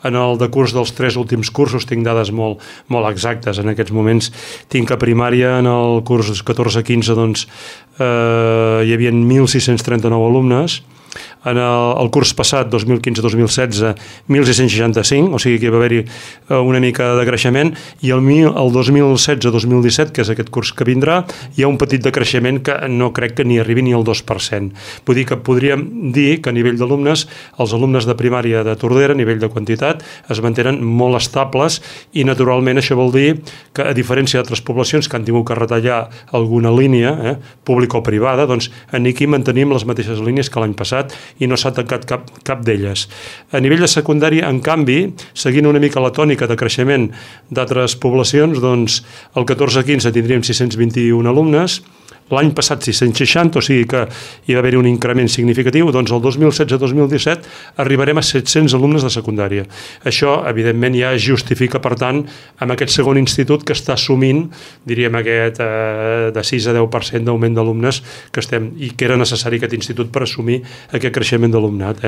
en el decurs dels 3 últims cursos, tinc dades molt exactes. En aquests moments tinc a primària, en el curs 14-15, doncs, hi havia 1.639 alumnes. En el curs passat, 2015-2016, 1.665, o sigui que hi va haver-hi una mica de creixement, i el 2016-2017, que és aquest curs que vindrà, hi ha un petit decreixement que no crec que ni arribi ni al 2%. Vull dir que podríem dir que a nivell d'alumnes, els alumnes de primària de Tordera, a nivell de quantitat, es mantenen molt estables i naturalment això vol dir que, a diferència d'altres poblacions que han tingut que retallar alguna línia, pública o privada, doncs aquí mantenim les mateixes línies que l'any passat i no s'ha tancat cap d'elles. A nivell de secundària, en canvi, seguint una mica la tònica de creixement d'altres poblacions, doncs el 14-15 tindríem 621 alumnes, l'any passat 660, o sigui que hi va haver un increment significatiu, doncs el 2016-2017 arribarem a 700 alumnes de secundària. Això, evidentment, ja es justifica, per tant, amb aquest segon institut que està assumint, diríem, aquest de 6 a 10% d'augment d'alumnes que estem, i que era necessari aquest institut per assumir aquest creixement d'alumnat.